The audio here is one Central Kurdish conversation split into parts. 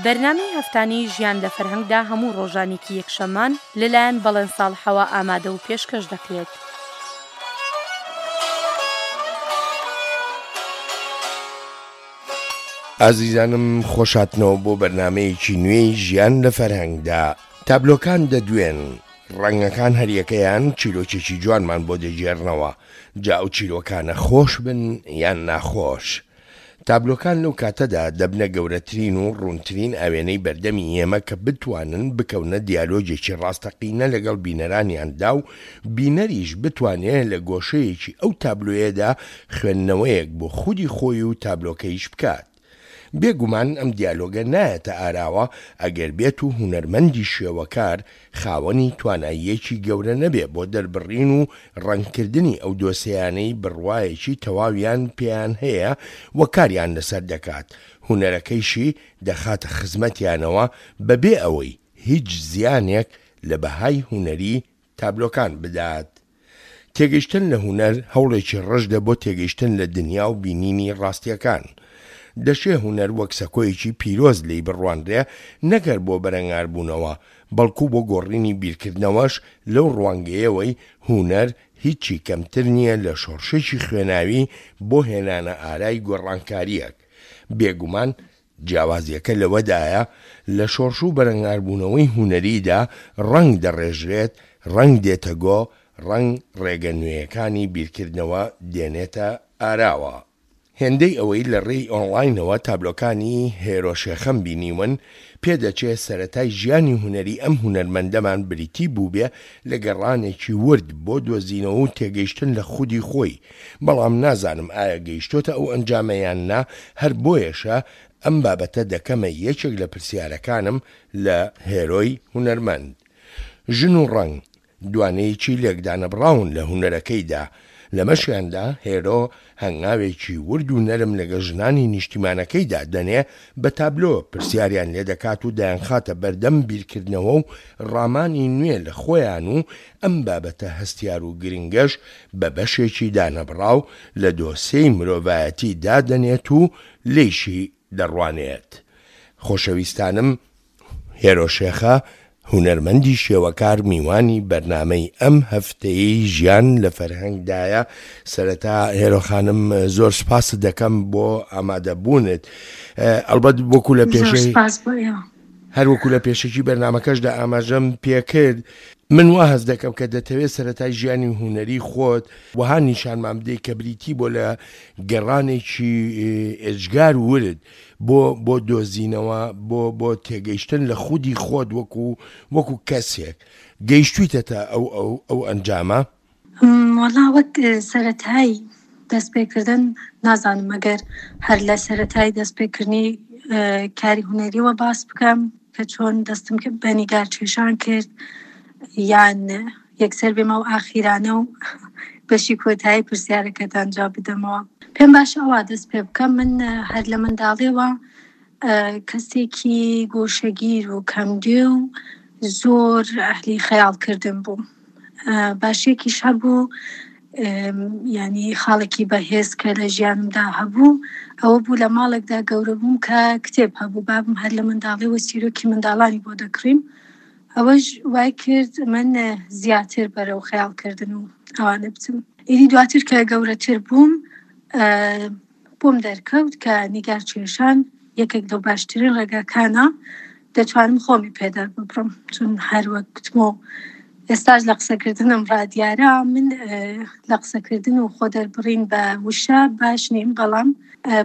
بەرنامەی هەفتانەی ژیان لە فەرهەنگدا هەموو ڕۆژانێکی یەکشەممان لەلایەن بەڵێن ساڵحەوە ئامادە و پێشکەش دەکرێت. ئازیزانم خۆشهاتنەوە بۆ بەرنامەیەکی نوێی ژیان لە فەرهەنگدا. تابلۆکان دەدوێن، ڕەنگەکان هەریەکەیان چیرۆکێکی جوانمان بۆ دەگێڕنەوە، جا ئەو چیرۆکانە خۆش بن یان ناخۆش. تابلۆکان لەو کاتەدا دەبنە گەورەترین و ڕوونترین ئاوێنەی بەردەمی ئێمە کە بتوانن بکەونە دیالۆگێکی ڕاستەقینە لەگەڵ بینەرانیاندا و بینەریش بتوانێ لە گۆشەیەکی ئەو تابلۆیەدا خوێندنەوەیەک بۆ خودی خۆی و تابلۆکەیش بکات. بێ گومان ئەم دیالۆگە نایەتە ئاراوە ئەگەر بێت و هونەرمەندی شێوەکار خاوەنی تواناییەکی گەورە نەبێ بۆ دەربڕین و ڕەنگکردنی ئەو دۆسێیانەی بڕوایەکی تەواویان پێیان هەیە و کاریان لەسەر دەکات، هونەرەکەیشی دەخاتە خزمەتیانەوە بەبێ ئەوەی هیچ زیانێک لە بەهای هونەری تابلۆکان بدات. تێگەیشتن لە هونەر هەوڵێکی ڕژدە بۆ تێگەیشتن لە دنیا و بینینی ڕاستییەکان. دەشێ هونەر وەک سەکۆیەکی پیرۆز لێی بڕوانرێ نەک هەر بۆ بەرەنگاربوونەوە، بەڵکو بۆ گۆڕینی بیرکردنەوەش لەو ڕوانگەیەوەی هونەر هیچی کەمتر نییە لە شۆڕشێکی خوێناوی بۆ هێنانە ئارای گۆڕانکارییەک. بێگومان جیاوازییەکە لەوەدایە لە شۆڕش و بەرەنگاربوونەوەی هونەریدا ڕەنگ دەڕێژرێت، ڕەنگ دێتە گۆ، ڕەنگ ڕێگە نوێیەکانی بیرکردنەوە دێنێتە ئاراوە. هێندەی ئەوەی لە ڕێی ئۆنڵاینەوە تابلۆکانی هێرۆ شێخەم بینیون، پێدەچێ سەرەتای ژیانی هونەری ئەم هونەرمەندەمان بریتی بووبێ لە گەڕانێکی ورد بۆ دۆزینەوە و تێگەیشتن لە خودی خۆی، بەڵام نازانم ئایا گەیشتۆتە ئەو ئەنجامە یان نا، هەر بۆیەشە ئەم بابەتە دەکەمە یەکێک لە پرسیارەکانم لە هێرۆی هونەرمەند. ژن و ڕەنگ، دوانەیەکی لێکدانەبڕاون لە هونەرەکەیدا، لەمەشیاندا هێرۆ هەنگاوێکی ورد و نەرم لەگەڵ ژنانی نیشتیمانەکەیدا دەنێ، بە تابلۆ پرسیاریان لێدەکات و دەیانخاتە بەردەم بیرکردنەوە و ڕامانی نوێ لە خۆیان و ئەم بابەتە هەستیار و گرنگەش بە بەشێکی دانەبڕاو لە دۆسێی مرۆڤایەتی دادەنێت و لێیشی دەڕوانێت. خۆشەویستانم هێرۆ شێخە هونەرمەندی شێوەکار میوانی بەرنامەی ئەم هەفتەیەی ژیان لە فەرهەنگدایە سەرەتا هێرۆ خانم زۆر سپاست دەکەم بۆ ئامادەبوونت ئەڵبەت وەکو لە پێشەی هەر وەکو لە پێشەکی بەرنامەکەشدا ئاماژەم پێکرد من وا هەست دەکەم کە دەتەوێت سەرەتای ژیانی هونەری خۆت وەها نیشانمان بدەیت کە بریتی بۆ لە گەڕانێکی ئێجگار ورد بۆ بۆ دۆزینەوە بۆ بۆ تێگەیشتن لە خودی خۆت وەکو وەکو کەسێک گەیشتویتەتە ئەو ئەو ئەو ئەنجامە؟ وەڵا وەک سەرەتای دەست پێکردن نازانم ئەگەر هەر لە سەرەتای دەست پێکردنی کاری هونەریەوە باس بکەم کە چۆن دەستم کرد بە نیگار کێشان کرد یان یەکسەر بێمە و ئاخیرانە و بەشی کۆتایی پرسیارەکەتان جواب بدەمەوە. پێم باشە ئەوا دەست پێ بکەم من هەر لە منداڵیەوە کەسێکی گۆشەگیر و کەمگوێ و زۆر ئەهلی خەیاڵکردن بووم. باشیەکیش هەبوو ینی خاڵێکی بەهێز کە لە ژیانمدا هەبوو ئەوە بوو لە ماڵێکدا گەورە بووم کە کتێب هەبوو بابم هەر لە منداڵیەوە چیرۆکی منداڵانی بۆ دەکڕیم ئەوەش وای کرد من زیاتر بەرەو خەیاڵکردن و ئەوانە بچم ئیدی دواتر کە گەورەتر بووم بۆم دەرکەوت کە نیگار کێشان یەکێک لەو باشترین ڕێگاکانە دەتوانم خۆمی پێ دەرببڕم چون هەر وەک گوتم و ئێستاش لە قسەکردنم ڕادیارە من لە قسەکردن و خۆ دەربڕین بە وشە باش نیم بەڵام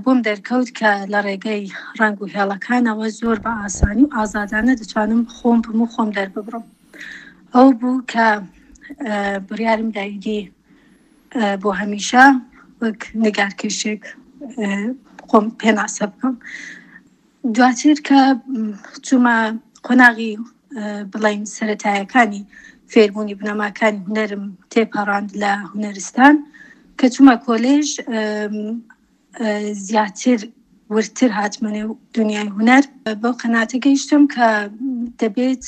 بۆم دەرکەوت کە لە ڕێگەی ڕەنگ و هێڵەکانەوە زۆر بە ئاسانی و ئازادانە دەتوانم خۆم بم و خۆم دەرببڕم ئەو بوو کە بڕیارم دا ئیدی بۆ هەمیشە وەک نیگارکێشێک خۆم پێناسە بکەم دواتر کە چوومە قۆناغی بڵین سەتایەکانی فێربوونی بنەماکانی هونەرم تێپەڕاند لە هونەرستان کە چوومە کۆلێژ زیاتر وردتر هاتمە نێو دنیای هونەر بەو قەناتە گەیشتم کە دەبێت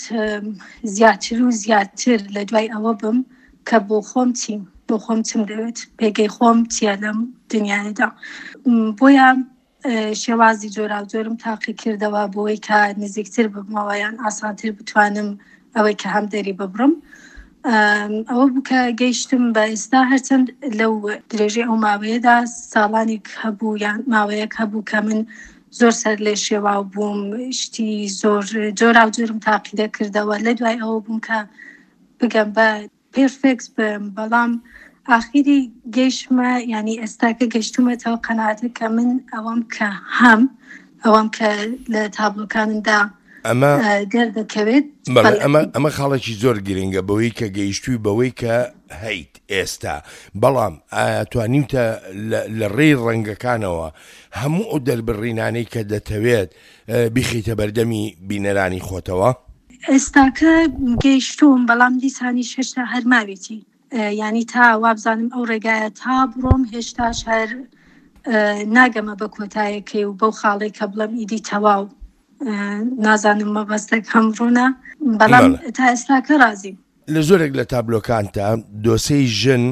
زیاتر و زیاتر لە دوای ئەوە بم کە بۆ خۆم چیم بۆ خۆم چم دەوێت پێگەی خۆم چییە لەم دنیادا بۆیە. شێوازی جۆراوجۆرم تاقیکردەوە بۆی کە نزیکتر ببمەوە یان ئاسانتر بتوانم ئەوەی کە هەم دەری ببڕم ئەوە بوو کە گەیشتم بە ئێستا هەرچەند لەو درێژەی ئەو ماوەیەدا ساڵانێک هەبوو یان ماوەیەک هەبوو کە من زۆر سەر لێ شێواو بووم شتی زۆر جۆراوجۆرم تاقی دەکردەوە لە دوای ئەوە بووم کە بگەم بە پێرفێکت بم بەڵام ئاخیری گەیشتمە یانی ئێستا کە گەیشتومەتەوە قەناعەتە کە من ئەوەم کە هەم ئەوەم کە لە تابلۆکانمدا ئەمە دەردەکەوێت بەڵێ ئەمە ئەمە خاڵێکی زۆر گرنگە بەوەی کە گەیشتووی بەوەی کە هەیت ئێستا بەڵام ئایا توانیوتە لە ڕێی ڕەنگەکانەوە هەموو ئەو دەربڕینانەی کە دەتەوێت بیخەیتە بەردەمی بینەرانی خۆتەوە؟ ئێستاکە گەیشتووم بەڵام دیسانیش هێشتا هەر ماوێتی یانی تا وابزانم ئەو ڕێگایە تا بڕۆم هێشتاش هەر ناگەمە بە کۆتایەکەی و بەو خاڵێک کە بڵێم ئیدی تەواو نازانم مەبەستەکەم ڕوونە بەڵام تا ئێستاکە ڕازیم. لە زۆرێک لە تابلۆکانتا دۆسێی ژن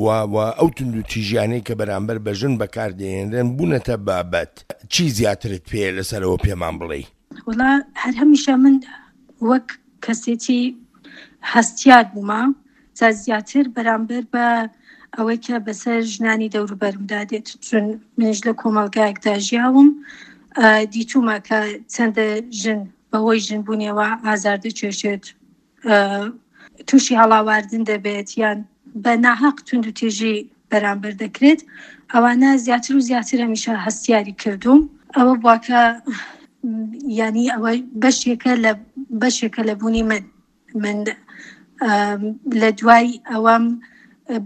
و و ئەو توندوتیژیانەی کە بەرامبەر بە ژن بەکار دەهێنرێن بوونەتە بابەت، چی زیاترت پێیە لەسەرەوە پێمان بڵێی؟ وەڵا هەر هەمیشە من وەک کەسێکی هەستیار بوومە جا زیاتر بەرامبەر بە ئەوەی کە بەسەر ژنانی دەوروبەرمدا دێت چون منیش لە کۆمەڵگایەکدا ژیاوم دیتومە کە چەندە ژن بەهۆی ژنبوونیەوە ئازار دەچێشێت تووشی هەڵاواردن دەبێت یان بە ناهەق توندوتیژی بەرامبەر دەکرێت ئەوانە زیاتر و زیاتر هەمیشە هەستیاری کردووم ئەوە بواکە ینی ئەوە بەشێکە لە بەشێکە لە بوونی من من لە دوای ئەوەم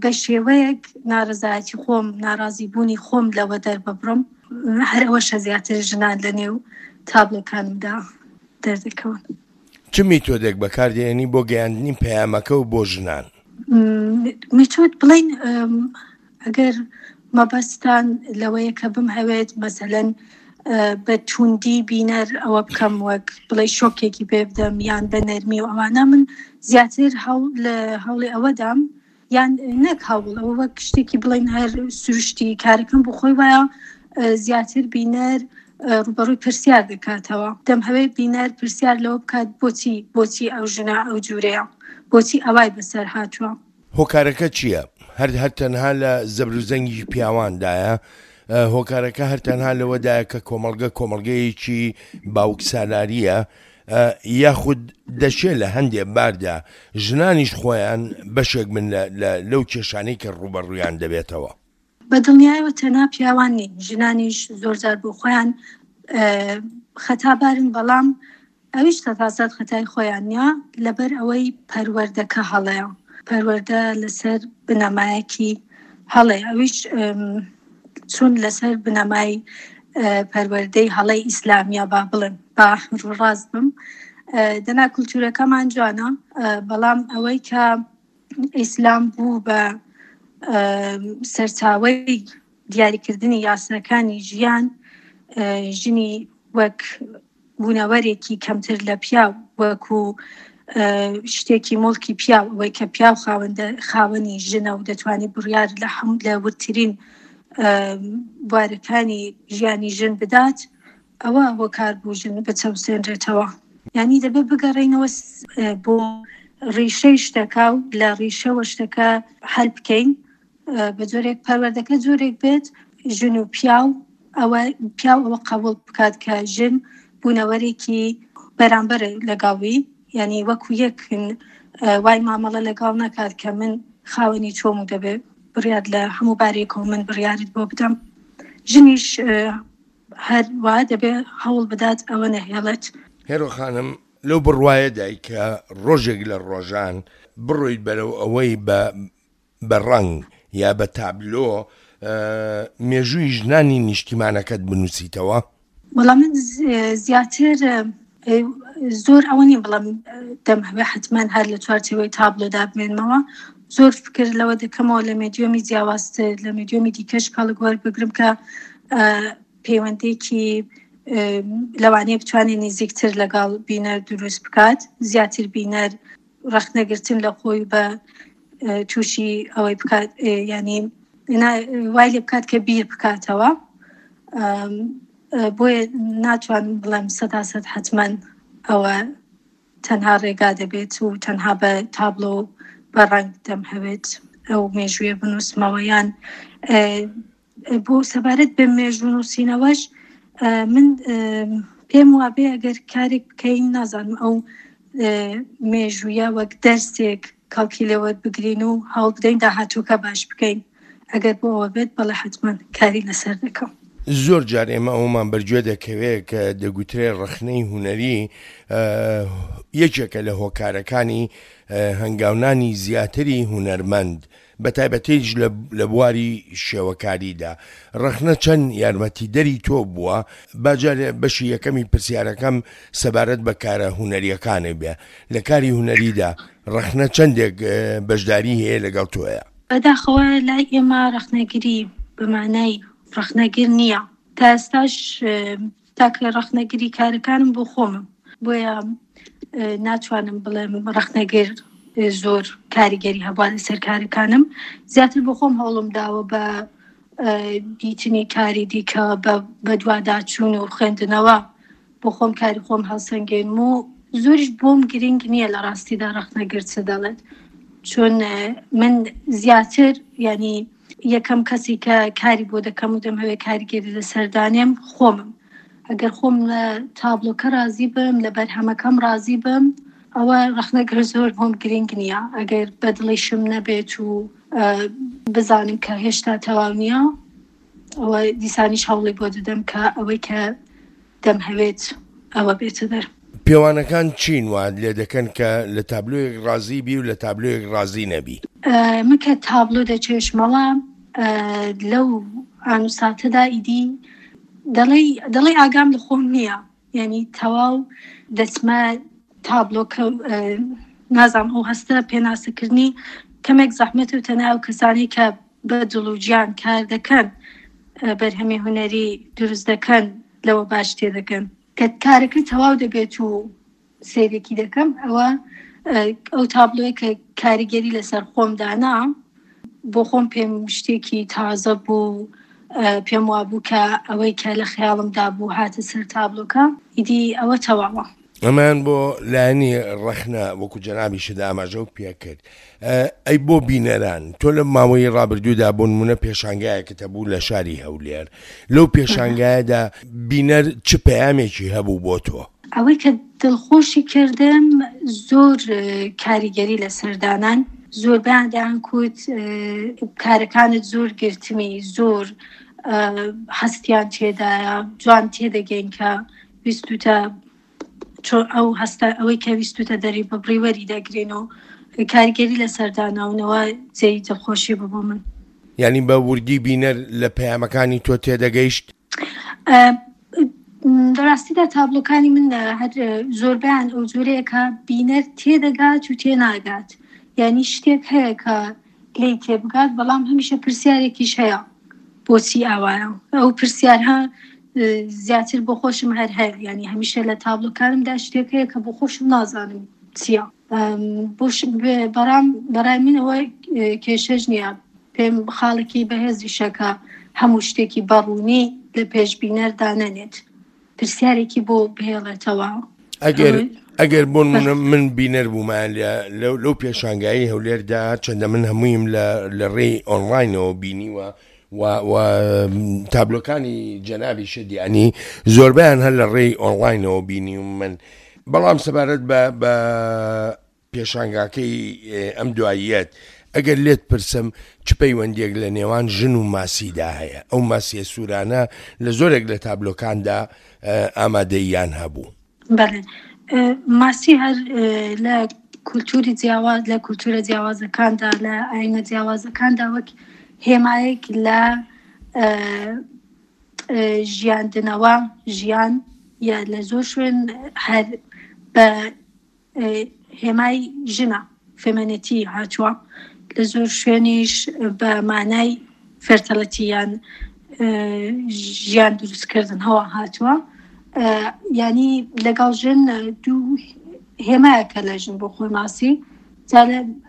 بە شێوەیەک ناڕزایەتی خۆم ناڕازی بوونی خۆم لەوە دەرببڕم هەر ئەوەشە زیاتر ژنان لە نێو تابلۆکانمدا دەردەکەون. چ میتۆدێک بەکاردێنی بۆ گەیاندنی پەیامەکە و بۆ ژنان؟ میتۆد بڵێین ئەگەر مەبەستان لەوەیە کە بمهەوێت مەسەلەن بە توندی بینەر ئەوە بکەم وەک بڵێ شۆکێکی پێ بدەم یان بە نەرمی و ئەوانە من زیاتر هەوڵ لە هەوڵی ئەوەدام یان نەک هەوڵ ئەوە وەک شتێکی بڵێن هەر سروشتی کارەکەم بۆ خۆی وایە زیاتر بینەر ڕوبەڕووی پرسیار دەکاتەوە دەمهەوێت بینەر پرسیار لەوە بکات بۆچی بۆچی ئەو ژنە ئەو جورەیە بۆچی ئەوای بەسەر هاتووە. هۆکارەکە چییە؟ هەر هەر تەنها لە زەبر و زەنگی پیاواندایە؟ هۆکارەکە هەر تەنها لەوەدایە کە کۆمەڵگە کۆمەڵگەیەکی باوکسالارییە؟ یاخود دەشێ لە هەندێ باردا ژنانیش خۆیان بەشێک بن لەو کێشانەی کە ڕووبەڕوویان دەبێتەوە؟ بە دڵنیایەوە تەنها پیاوان نین، ژنانیش زۆرجار بۆ خۆیان خەتابارن، بەڵام ئەویش سەتاسەد خەتای خۆیان نییە، لەبەر ئەوەی پەروەردەکە هەڵەیە، پەروەردە لەسەر بنەمایەکی هەڵەیە، ئەویش چون لەسەر بنەمای پەروەردەی هەڵەی ئیسلامیە با بڵێم با ڕاست بم دەنا کولتورەکەمان جوانە بەڵام ئەوەی کە ئیسلام بوو بە سەرچاوەی دیاریکردنی یاساکانی ژیان ژنی وەک بوونەوەرێکی کەمتر لە پیاو وەکو شتێکی موڵکی پیاو ئەوەی کە پیاو خاوەندە خاوەنی ژنە و دەتوانێت بڕیار لە هەموو لە وردترین بوارەکانی ژیانی ژن بدات ئەوە هۆکار بوو ژن بچەوسێنرێتەوە یعنی دەبێت بگەڕێینەوە بۆ ڕیشەی شتەکە و لە ڕیشەوە شتەکە حل بکەین بە جۆرێک پەروەردەکە جۆرێک بێت ژن و پیاو ئەوە پیاو ئەوە قبوڵ بکات کە ژن بوونەوەرێکی بەرامبەر لەگەڵوی یعنی وەکو یەکن وای مامەڵە لەگەڵ نەکات کە من خاوەنی چۆم و دەبێت بڕیار لە هەموو بارێکەوە من بڕیارت بۆ بدەم ژنیش هەر وا دەبێ هەوڵ بدات ئەوە نەهێڵێت. هێرۆ خانم لەو بڕوایەدای کە ڕۆژێک لە ڕۆژان بڕۆیت بەرەو ئەوەی بە بە ڕەنگ یا بە تابلۆ مێژووی ژنانی نیشتیمانەکەت بنووسیتەوە؟ وەڵا من زیاتر زۆر ئەوە نیم بڵێم دەمهەوێ حتمما هەر لە چوارچێوەی تابلۆدا بمێنمەوە زۆر فکر لەوە دەکەمەوە لە مێدیۆمی جیاوازتر لە مێدیۆمی دیکەش کەڵک وەربگرم کە پەیوەندێکی لەوانەیە بتوانێت نزیکتر لەگەڵ بینەر دروست بکات زیاتر بینەر ڕەخنەگرتن لە خۆی بە تووشی ئەوەی بکات ینی وای لێ بکات کە بیر بکاتەوە. بۆیە ناتوانم بڵێم سەدا سەد حەتمەن ئەوە تەنها ڕێگا دەبێت و تەنها بە تابلۆ و بە ڕەنگ دەمهەوێت ئەو مێژوویە بنووسمەوە یان بۆ سەبارەت بە مێژوو نووسینەوەش من پێم وابێ ئەگەر کارێک بکەین نازانم ئەو مێژوویە وەک دەرسێک کەڵکی لێ وەربگرین و هەوڵ بدەین داهاتووکە باش بکەین ئەگەر بۆ ئەوە بێت بەڵێ حەتمەن کاری لەسەر دەکەم. زۆر جار ئێمە ئەوەمان بەرگوێ دەکەوێ کە دەگوترێ ڕەخنەی هونەری یەکێکە لە هۆکارەکانی هەنگاونانی زیاتری هونەرمەند بەتایبەتیش لە بواری شێوەکاریدا. ڕەخنە چەند یارمەتیدەری تۆ بووە؟ با جارێ بەشی یەکەمی پرسیارەکەم سەبارەت بە کارە هونەرییەکانت بێ. لە کاری هونەریدا ڕەخنە چەندێک بەشداری هەیە لەگەڵ تۆیا؟ بەداخەوە لای ئێمە ڕەخنەگری بە مانای ڕەخنەگر نییە. تا ئێستاش تاکە ڕەخنەگری کارەکانم بۆ خۆمم بۆیە ناتوانم بڵێم ڕەخنەگر زۆر کاریگەری هەبووە لەسەر کارەکانم زیاتر بۆ خۆم هەوڵم داوە بە دیتنی کاری دیکە بە دواداچوون و خوێندنەوە بۆ خۆم کاری خۆم هەڵسەنگێنم و زۆریش بۆم گرنگ نییە لە ڕاستیدا ڕەخنەگر چ دەڵێت چون من زیاتر ینی یەکەم کەسی کە کاری بۆ دەکەم و دەمهەوێت کاریگەری لەسەر دانێم خۆمم ئەگەر خۆم لە تابلۆکە ڕازی بم لە بەرهەمەکەم ڕازی بم ئەوە ڕەخنەگر زۆر بۆم گرنگ نییە ئەگەر بەدڵیشم نەبێت و بزانم کە هێشتا تەواو نییە ئەوە دیسانیش هەوڵی بۆ دەدەم کە ئەوەی کە دەمهەوێت ئەوە بێتە دەر. پێوانەکان چین وات لێ دەکەن کە لە تابلۆیەک ڕازی بی و لە تابلۆیەک ڕازی نەبی؟ من کە تابلۆ دەکێشمەوە لەو ئان و ساتەدا ئیدی دەڵێی دەڵێی ئاگام لە خۆم نییە یعنی تەواو دەچمە تابلۆکە نازانم ئەو هەستە پێناسەکردنی کەمێک زەحمەت و تەنها ئەو کەسانەی کە بە دڵ و گیان کار دەکەن بەرهەمی هونەری دروست دەکەن لەوە باش تێدەگەن کە کارەکە تەواو دەبێت و سەیرێکی دەکەم ئەوە ئەو تابلۆیە کە کاریگەری لەسەر خۆم دانا بۆ خۆم پێم شتێکی تازە بوو پێم وابوو کە ئەوەی کە لە خەیاڵمدا بوو هاتە سەر تابلۆکە ئیدی ئەوە تەواوە. ئەمەیان بۆ لایەنی ڕەخنە وەکو جەنابیشت ئاماژەو پێکرد ئەی بۆ بینەران تۆ لە ماوەی ڕابردوودا بۆ نمونە پێشانگایەکت هەبوو لە شاری هەولێر لەو پێشانگایەدا بینەر چ پەیامێکی هەبوو بۆ تۆ؟ ئەوەی کە دڵخۆشی کردم زۆر کاریگەری لەسەر دانان زۆربەیان دەیانکوت کارەکانت زۆر گرتمی زۆر هەستیان تێدایە جوان تێدەگەین کە ویستوتە چۆن ئەو هەستە ئەوەی کە ویستوتە دەری ببڕی وەری دەگرین و کاریگەری لەسەر داناونەوە جێی دڵخۆشی بوو بۆ من. یانی بە وردی بینەر لە پەیامەکانی تۆ تێدەگەیشت؟ لە ڕاستیدا تابلۆکانی من هەر زۆربەیان ئەو جۆرەیە کە بینەر تێدەگات و تێناگات یانی شتێک هەیە کە لێی تێبگات بەڵام هەمیشە پرسیارێکیش هەیە بۆچی ئاوایە ئەو پرسیارها زیاتر بۆ خۆشم هەر هەیە یعنی هەمیشە لە تابلۆکانمدا شتێک هەیە کە بۆ خۆشم نازانم چییە بۆش بەڕام بەڕای من ئەوە کێشەش نییە پێم خاڵێکی بەهێزیشە کە هەموو شتێکی بەڕوونی لە پێشبینەر دانەنێت پرسیارێکی بۆ بهێڵێتەوە. ئەگەر ئەگەر بۆ نمونە من بینەر بوومایە لە لەو پێشانگایی هەولێردا چەندە من هەموویم لە لە ڕێی ئۆنلاینەوە بینیوە و و تابلۆکانی جەنابی شدیانی زۆربیان هەر لە ڕێی ئۆنلاینەوە بینیوم من بەڵام سەبارەت بە بە پێشانگاکەی ئەم دواییەت، ئەگەر لێت پرسم چ پەیوەندییەک لە نێوان ژن و ماسیدا هەیە؟ ئەو ماسییە سوورانە لە زۆرێک لە تابلۆکاندا ئامادەییان هەبوو. بەڵێ، ماسی هەر لە کولتووری جیاواز، لە کولتوورە جیاوازەکاندا، لە ئایینە جیاوازەکاندا وەک هێمایەک لە ژیاندنەوە، ژیان، یا لە زۆر شوێن هەر بە هێمای ژنە، فێمێنێتی، هاتووە، لە زۆر شوێنیش بە مانای فێرتەڵەتی یان ژیان دروستکردن هەوا هاتووە یانی لەگەڵ ژن دوو هێمایەکە لە ژن بۆ خۆی ماسی جا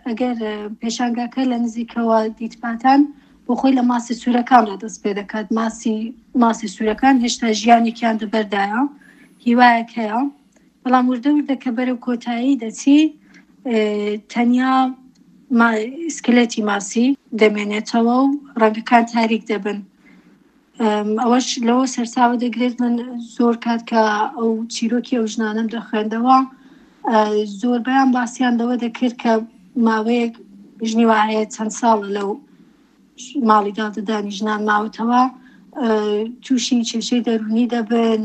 ئەگەر پێشانگاکە لە نزیکەوە دیتباتان. بۆ خۆی لە ماسی سوورەکاندا دەست پێ دەکات ماسی ماسی سوورەکان هێشتا ژیانێکیان دەبەردایە هیوایەک هەیە بەڵام وردە وردە کە بەرەو کۆتایی دەچی تەنیا سکلێتی ماسی دەمێنێتەوە و ڕەنگەکان تاریک دەبن ئەوەش لەوە سەرچاوە دەگرێت من زۆر کات کە ئەو چیرۆکی ئەو ژنانەم دەخوێندەوە زۆربیان باسییان لەوە دەکرد کە ماوەیەک ژنی وایە چەند ساڵە لەو ماڵی دادەدانی ژنان ماوەتەوە تووشی کێشەی دەرونی دەبن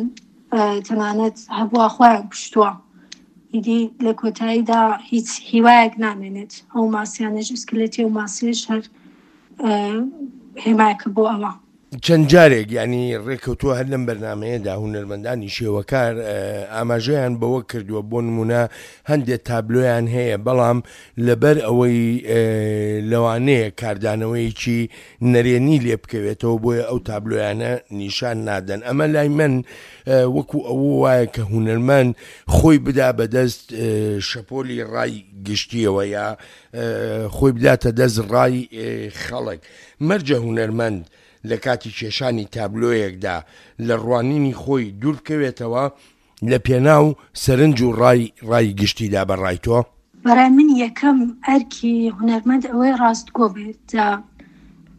تەنانەت هەبووە خۆیان کوشتووە ئیدی لە کۆتاییدا هیچ هیوایەک نامێنێت ئەو ماسیانەش ئسکلێتی و ماسیش هەر هێمایەکە بۆ ئەوە. چەند جارێک یانی ڕێکەوتووە هەر لەم بەرنامەیەدا هونەرمەندانی شێوەکار ئاماژەیان بەوە کردووە بۆ نمونە هەندێک تابلۆیان هەیە بەڵام لەبەر ئەوەی لەوانەیە کاردانەوەیەکی نەرێنی لێ بکەوێتەوە بۆیە ئەو تابلۆیانە نیشان نادەن ئەمە لای من وەکو ئەوە وایە کە هونەرمەند خۆی بدا بەدەست شەپۆلی ڕای گشتیەوە یا خۆی بداتە دەست ڕای خەڵک. مەرجە هونەرمەند لە کاتی کێشانی تابلۆیەکدا لە ڕوانینی خۆی دوور بکەوێتەوە لە پێناو سەرنج و ڕای ڕای گشتیدا بە ڕای تۆ؟ بەڕای من یەکەم ئەرکی هونەرمەند ئەوەیە ڕاستگۆ بێت جا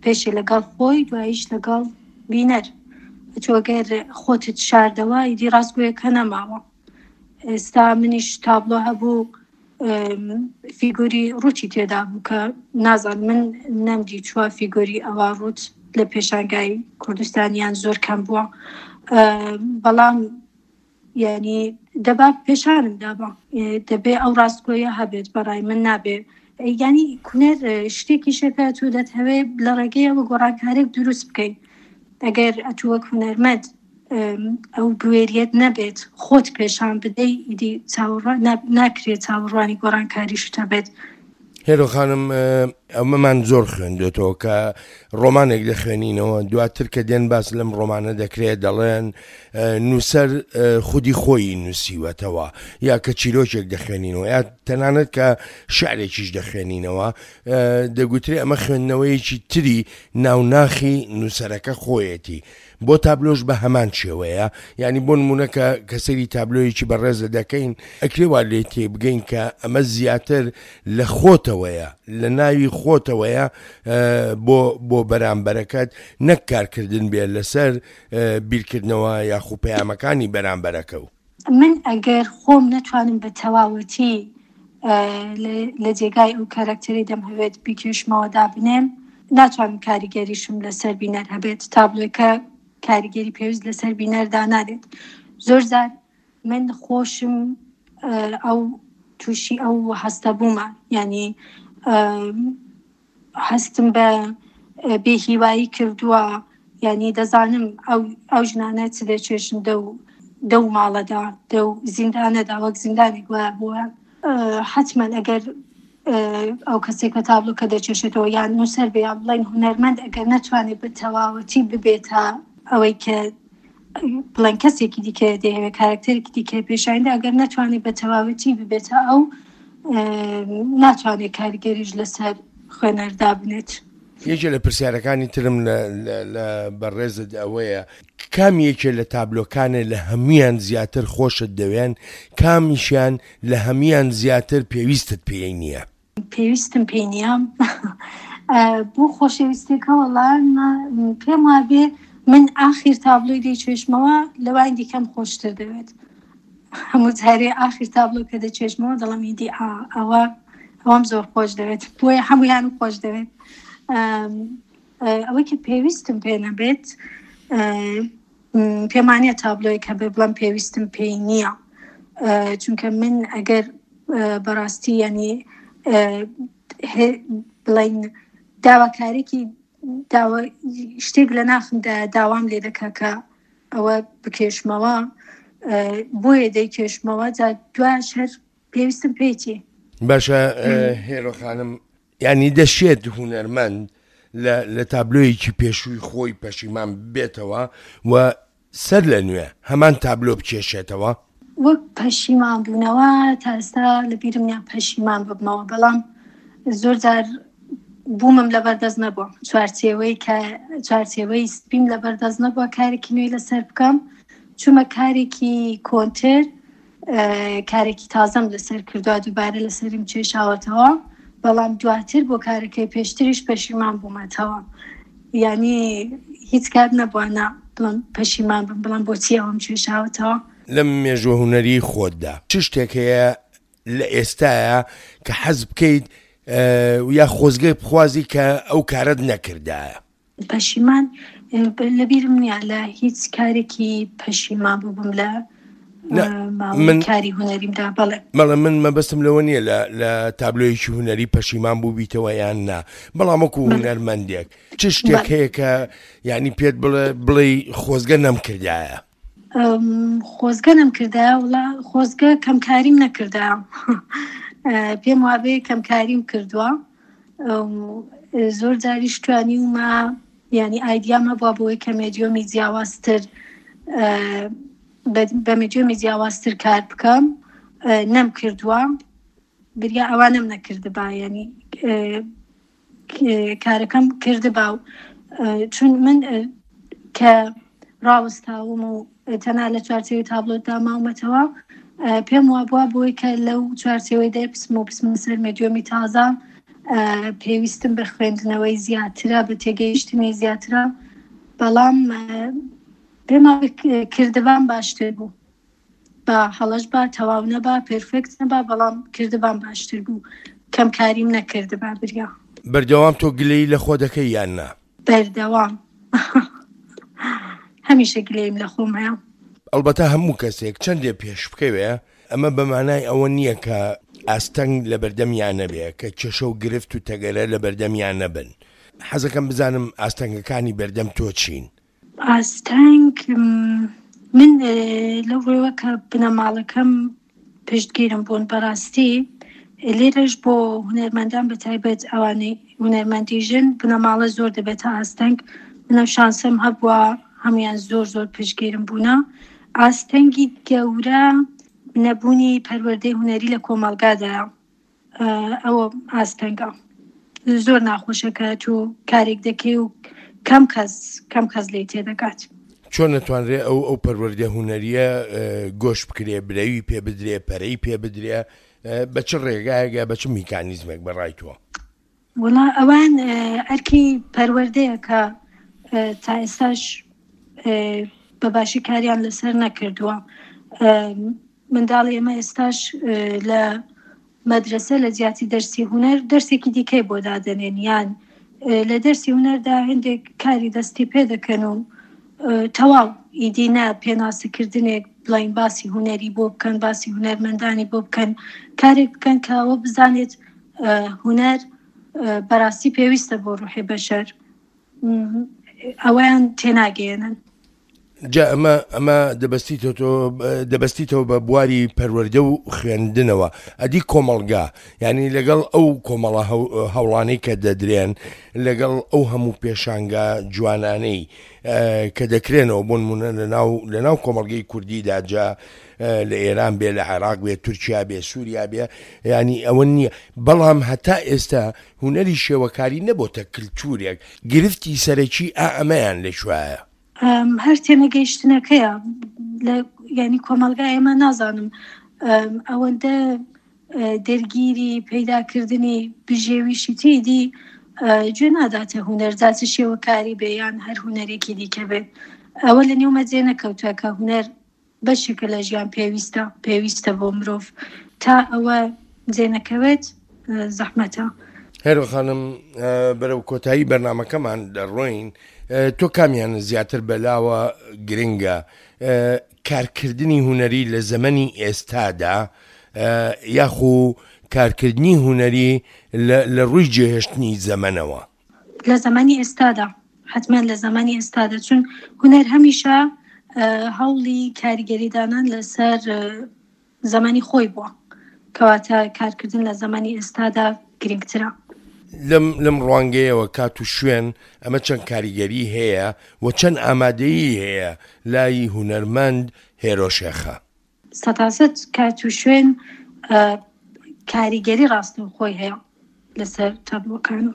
پێشێ لەگەڵ خۆی دواییش لەگەڵ بینەر. تۆ گەر خۆتت شاردەوە ئیدی ڕاستگۆیەکە نەماوە. ئێستا منیش تابلۆ هەبوو فیگۆری ڕووتی تێدا بوو کە نازان من نەمدی چوە فیگۆری ئەوە ڕووت لە پێشانگای کوردستانیان زۆر کەم بووە بەڵام یعنی دەبا پێشانم دابا دەبێ ئەو ڕاستگۆیە هەبێت بەڕای من نابێ ینی کونەر شتێکی شەکە تۆ دەتهەوێ لە ڕێگەیەوە گۆڕانکارێک دروست بکەیت ئەگەر ئەتوو وەک هونەرمەند ئەو بوێریەت نەبێت خۆت پێشان بدەی ئیدی چاوەڕوان ناکرێت چاوەڕوانی گۆڕانکاریشت هەبێت. هێرۆ خانم ئەمەمان زۆر خوێندوێتەوە کە ڕۆمانێک دەخوێنینەوە دواتر کە دێن باس لەم ڕۆمانە دەکرێت دەڵێن نووسەر خودی خۆی نووسیوەتەوە یا کە چیرۆکێک دەخوێنینەوە یا تەنانەت کە شعرێکیش دەخوێنینەوە دەگوترێ ئەمە خوێندنەوەیەکی تری ناوناخی نووسەرەکە خۆیەتی بۆ تابلۆش بە هەمان شێوەیە یانی بۆ نمونە کە کە سەیری تابلۆیەکی بەڕێزت دەکەین ئەکرێ وا لێ تێبگەین کە ئەمە زیاتر لە خۆتەوەیە لە ناوی خۆتەوەیە بۆ بۆ بەرامبەرەکەت نەک کارکردن بێ لەسەر بیرکردنەوە یاخو پەیامەکانی بەرامبەرەکە و. من ئەگەر خۆم نەتوانم بە تەواوەتی لە جێگای ئەو کارکتەری دەمهەوێت بیکێشمەوە دابنێم ناتوانم کاریگەریشم لەسەر بینەر هەبێت تابلۆکە کاریگەری پێویست لەسەر بینەر دانانێت زۆر جار من خۆشم ئەو تووشی ئەو هەستە بوومە یعنی هەستم بە بێ هیوایی کردووە یعنی دەزانم ئەو ئەو ژنانە چ دەچێژن دەو دەو ماڵەدا دەو زیندانەدا وەک زیندانێک وایە بۆیان حتمما ئەگەر ئەو کەسێک کە تابلۆکە دەچێشێتەوە یان نووسەر بێ یان بڵێن هونەرمەند ئەگەر نەتوانێت بە تەواوەتی ببێتە ئەوەی کە بڵێن کەسێکی دیکە دەیەوێت کارکتەرێکی دیکە پێشاندا ئەگەر نەتوانێت بە تەواوەتی ببێتە ئەو ناتوانێت کاریگەریش لەسەر خوێنەر دابنێت. یەکێ لە پرسیارەکانی ترم لە بەڕێزت ئەوەیە کام یەکێ لە تابلۆکانێ لە هەمویان زیاتر خۆشت دەوێن کامیشیان لە هەمویان زیاتر پێویستت پێی نییە؟ پێویستم پێی نییە بۆ خۆشەویستێکە وەڵا پێم وابێ من ئاخیر تابلۆی دەیچێژمەوە لەوان دیکەم خۆشتر دەوێت هەموو جارێ ئاخیر تابلۆ کە دەچێژمەوە دەڵم ئیدی ئەوە ئەوەم زۆر خۆش دەوێت بۆیە هەمویان خۆش دەوێت ئەوەی کە پێویستم پێ نەبێت پێمانە تابلۆیەک هەبێ بڵم پێویستم پێی نییە چونکە من ئەگەر بەڕاستی ینی بڵین داواکارێکی داوا شتێک لە ناخمدا داوام لێ دەکا کە ئەوە بکێشمەوە بۆیە دەیکێشمەوە جا دواش هەر پێویستم پێیتی. باشە هێرۆ خانم یانی دەشێت هونەرمەند لە لە تابلۆیەکی پێشووی خۆی پەشیمان ببێتەوە و سەر لە نوێ هەمان تابلۆ بکێشێتەوە؟ وەک پەشیمان بوونەوە تا ئێستا لە بیرم نیە پەشیمان ببمەوە بەڵام زۆر جار. بوومم لەبەر دەست نەبووە چوارچێوەی کە چوارچێوەی سپیم لەبەر دەست نەبووە کارێکی نوێی لەسەر بکەم چوومە کارێکی کۆنتر کارێکی تازەم لەسەر کردووە دووبارە لەسەرم کێشاوەتەوە بەڵام دواتر بۆ کارەکەی پێشتریش پەشیمان بوومەتەوە یعنی هیچ کات نەبووە نا بڵم پەشیمان بم بڵم بۆچی ئەوم کێشاوەتەوە. لەم مێژووە هونەریی خۆتدا چ شتێک هەیە لە ئێستایا کە حەز بکەیت یا خۆزگە بخوازی کە ئەو کارەت نەکردایە؟ پەشیمان لەبیرم نییە لە هیچ کارێکی پەشیمان بووبم لە ماوەی کاری هونەریمدا بەڵێ. بەڵێ من مەبەستم لەوە نییە لە لە تابلۆیەکی هونەری پەشیمان بووبیتەوە یان نا بەڵام وەکو هونەرمەندێک چ شتێک هەیە کە یعنی پێت بڵێ بڵێی خۆزگە نەمکردایە؟ خۆزگە نەمکردایە وڵا خۆزگە کەمکاریم نەکردایە پێم وابێ کەمکاریم کردووە زۆر جاریش توانیومە ینی ئایدیام هەبووە بۆی کە مێدیۆمی جیاوازتر بە مێدیۆمی جیاوازتر کار بکەم نەم کردووە بریا ئەوانم نەکردبا ینی کارەکەم کردبا و چون من کە ڕاوەستاوم و تەنها لە چوارچێوەی تابلۆتدا ماومەتەوە پێم وابووە بۆی کە لەو چوارچێوەی دەربچم و بچمە سەر مێدیۆمی تازە پێویستم بە خوێندنەوەی زیاترە بە تێگەیشتنی زیاترە بەڵام پێم کردبام باشتر بوو با هەڵەش با تەواو نەبا پێرفێکت نەبا بەڵام کردبام باشتر بوو کەم کاریم نەکردبا بریا. بەردەوام تۆ گلەیی لە خۆ دەکەی یان نا؟ بەردەوام هەمیشە گلەییم لە خۆم هەیە. ئەڵبەتە هەموو کەسێک چەندێ پێش بکەوێ ئەمە بە مانای ئەوە نییە کە ئاستەنگ لە بەردەمیا نەبێ، کە کێشە و گرفت و تەگەرە لە بەردەمیا نەبن. حەزەکەم بزانم ئاستەنگەکانی بەردەم تۆ چین؟ ئاستەنگ من لەو ڕێوە کە بنەماڵەکەم پشتگیرم بوون بەڕاستی لێرەش بۆ هونەرمەندان بە تایبەت ئەوانەی هونەرمەندی ژن بنەماڵە زۆر دەبێتە ئاستەنگ منە شانسم هەبووە هەمویان زۆر زۆر پشتگیرم بوونە ئاستەنگی گەورە نەبوونی پەروەردەی هونەری لە کۆمەڵگادایە ئەوە ئاستەنگە زۆر ناخۆشە کە تۆ کارێک دەکەی و کەم کەس کەم کەس لێی تێدەگات. چۆن ئەتوانرێ ئەو ئەو پەروەردە هونەریە گۆش بکرێ برەوی پێ بدرێ پەرەی پێ بدرێ بە چ ڕێگایەک یا بە چ میکانیزمێک بە ڕای تۆ؟ وەڵا ئەوان ئەرکی پەروەردەیە کە تا ئێستاش بە باشی کاریان لەسەر نەکردووە. منداڵی ئێمە ئێستاش لە مەدرەسە لە جیاتی دەرسی هونەر دەرسێکی دیکەی بۆ دادەنێن یان لە دەرسی هونەردا هەندێک کاری دەستی پێ دەکەن و تەواو ئیدی نا پێناسەکردنێک بڵین باسی هونەری بۆ بکەن باسی هونەرمەندانی بۆ بکەن کارێک بکەن کە ئەوە بزانێت هونەر بەراستی پێویستە بۆ ڕوحی بەشەر ئەوەیان تێناگەیەنن. جا ئەمە ئەمە دەبەستیتەوە بە بواری پەروەردە و خوێندنەوە ئەدی کۆمەڵگا یعنی لەگەڵ ئەو کۆمەڵە هەوڵانەی کە دەدرێن لەگەڵ ئەو هەموو پێشانگا جوانانەی کە دەکرێنەوە بۆ نمونە لەناو لەناو کۆمەڵگەی کوردیدا جا لە ئێران بێ لە عێراق بێ تورکیا بێ سووریا بێ ینی ئەوە نییە بەڵام هەتا ئێستا هونەری شێوەکاری نەبۆتە کلتورێک، گرفتی سەرەکی ئا ئەمەیان لە کوایە؟ هەر تێنەگەیشتنەکەیە لە یانی کۆمەڵگای ئێمە نازانم ئەوەندە دەرگیری پەیداکردنی بژێویشی تێدی گوێ ناداتە هونەر جا چ شێوەکاری بێ یان هەر هونەرێکی دیکە بێت ئەوە لە نێومە جێ نەکەوتووە کە هونەر بەشێکە لە ژیان پێویستە پێویستە بۆ مرۆڤ تا ئەوە جێ نەکەوێت زەحمەتە. هێرۆ خانم بەرەو کۆتایی بەرنامەکەمان دەڕۆین تۆ کامیان زیاتر بەلاوە گرنگە کارکردنی هونەری لە زەمەنی ئێستادا یاخو کارکردنی هونەری لە ڕووی جێهێشتنی زەمەنەوە؟ لە زەمەنی ئێستادا حتمما لە زەمەنی ئێستادا چون هونەر هەمیشە هەوڵی کاریگەری دانان لەسەر زەمەنی خۆی بووە کەواتە کارکردن لە زەمەنی ئێستادا گرنگترە. لەم لەم ڕوانگەیەوە کات و شوێن ئەمە چەند کاریگەری هەیە و چەند ئامادەیی هەیە لای هونەرمەند هێرۆ شێخە؟ سەتاسەت کات و شوێن کاریگەری ڕاستەوخۆی هەیە لەسەر تابلۆکان.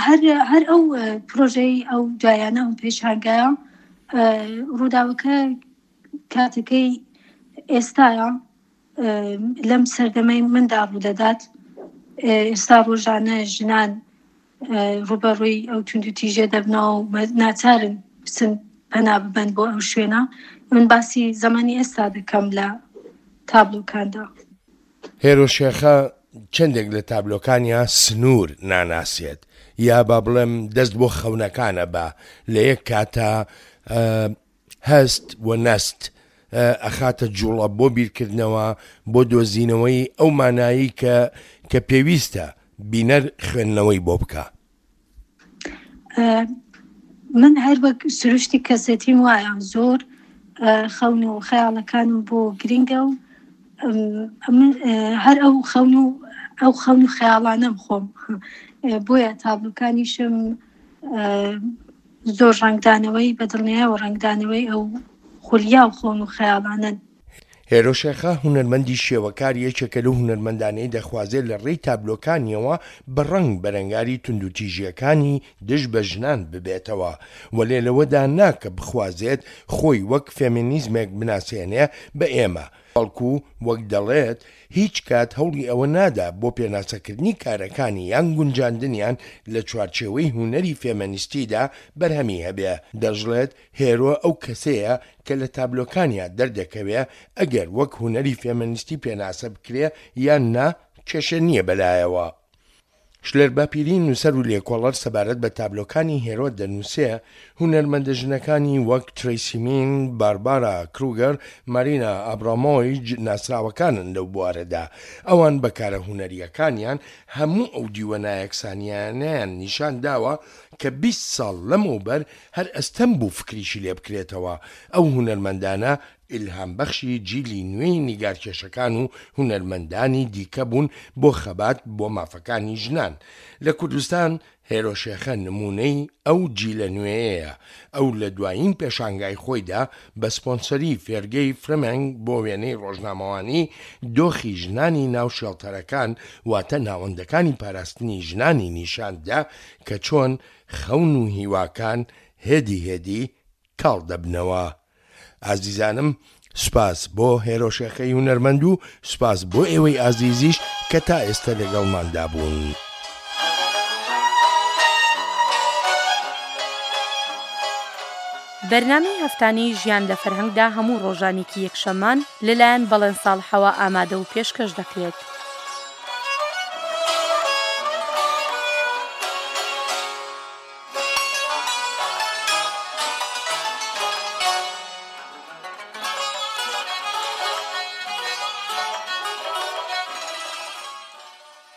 هەر هەر ئەو پرۆژەی ئەو دوایانە ئەو پێشانگایە ڕووداوەکە کاتەکەی ئێستاە لەم سەردەمەی مندا ڕوودەدات ئێستا ڕۆژانە ژنان ڕوبەڕووی ئەو توندوتیژە دەبنەوە و ناچارن بچن پەنا ببەن بۆ ئەو شوێنە من باسی زەمانی ئێستا دەکەم لە تابلۆکاندا. هێرۆ شێخە چەندێک لە تابلۆکانیا سنوور ناناسێت یا با بڵێم دەست بۆ خەونەکانە بە لە یەک کاتا هەست و نەست ئەخاتە جوڵە بۆ بیرکردنەوە بۆ دۆزینەوەی ئەو مانایی کە کە پێویستە بینەر خوێندنەوەی بۆ بکا. من هەر وەک سروشتی کەسێتیم وایە زۆر خەون و خەیاڵەکانم بۆ گرنگە و هەر ئەو خەون و ئەو خەون و خەیاڵانەم خۆم بۆیە تابلوکانیشم زۆر ڕەنگدانەوەی بە دڵنیایەوە ڕەنگدانەوەی ئەو خولیا و خەون و خەیاڵانەن. هێرۆ شێخە، هونەرمەندی شێوەکار یەکێکە لەو هونەرمەندانەی دەخوازێت لە ڕێی تابلۆکانیەوە بە ڕەنگ بەرەنگاری توندوتیژییەکانی دژ بە ژنان ببێتەوە، وەلێ لەوەدا نا کە بخوازێت خۆی وەک فێمینیزمێک بناسێنێ بە ئێمە، بەڵکو وەک دەڵێت هیچ کات هەوڵی ئەوە نادا بۆ پێناسەکردنی کارەکانی یان گونجاندنیان لە چوارچێوەی هونەری فێمەنیستیدا بەرهەمی هەبێ، دەشڵێت هێرۆ ئەو کەسەیە کە لە تابلۆکانیا دەردەکەوێ ئەگەر وەک هونەری فێمەنیستی پێناسە بکرێ یان نا کێشە نییە بەلایەوە. شلێر باپیری نووسەر و لێکۆڵەر سەبارەت بە تابلۆکانی هێرۆ دەنووسێ، هونەرمەندە ژنەکانی وەک ترەیسی مین، باربارا کروگەر، مارینا ئابرامۆیج ناسراوەکانن لەو بوارەدا. ئەوان بە کارە هونەرییەکانیان هەموو ئەو دیوە نایەکسانییانەیان نیشان داوە کە 20 ساڵ لەمەوبەر هەر ئەستەم بوو فکریشی لێ بکرێتەوە. ئەو هونەرمەندانە ئیلهامبەخشی جیلی نوێی نیگارکێشەکان و هونەرمەندانی دیکە بوون بۆ خەبات بۆ مافەکانی ژنان لە کوردستان، هێرۆ شێخە نموونەی ئەو جیلە نوێیەیە، ئەو لە دوایین پێشانگای خۆیدا بە سپۆنسەری فێرگەی فرمێنگ بۆ وێنەی ڕۆژنامەوانی دۆخی ژنانی ناو شێڵتەرەکان واتە ناوەندەکانی پاراستنی ژنانی نیشان دا کە چۆن خەون و هیواکان هێدی هێدی کاڵ دەبنەوە. ئازیزانم سوپاس بۆ هێرۆ شێخەی هونەرمەند و سوپاس بۆ ئێوەی ئازیزیش کە تا ئێستە لەگەڵماندا بوون. بەرنامەی هەفتانەی ژیان لە فەرهەنگدا هەموو ڕۆژانێکی یەکشەممان لەلایەن بەڵێن ساڵحەوە ئامادە و پێشکەش دەکرێت.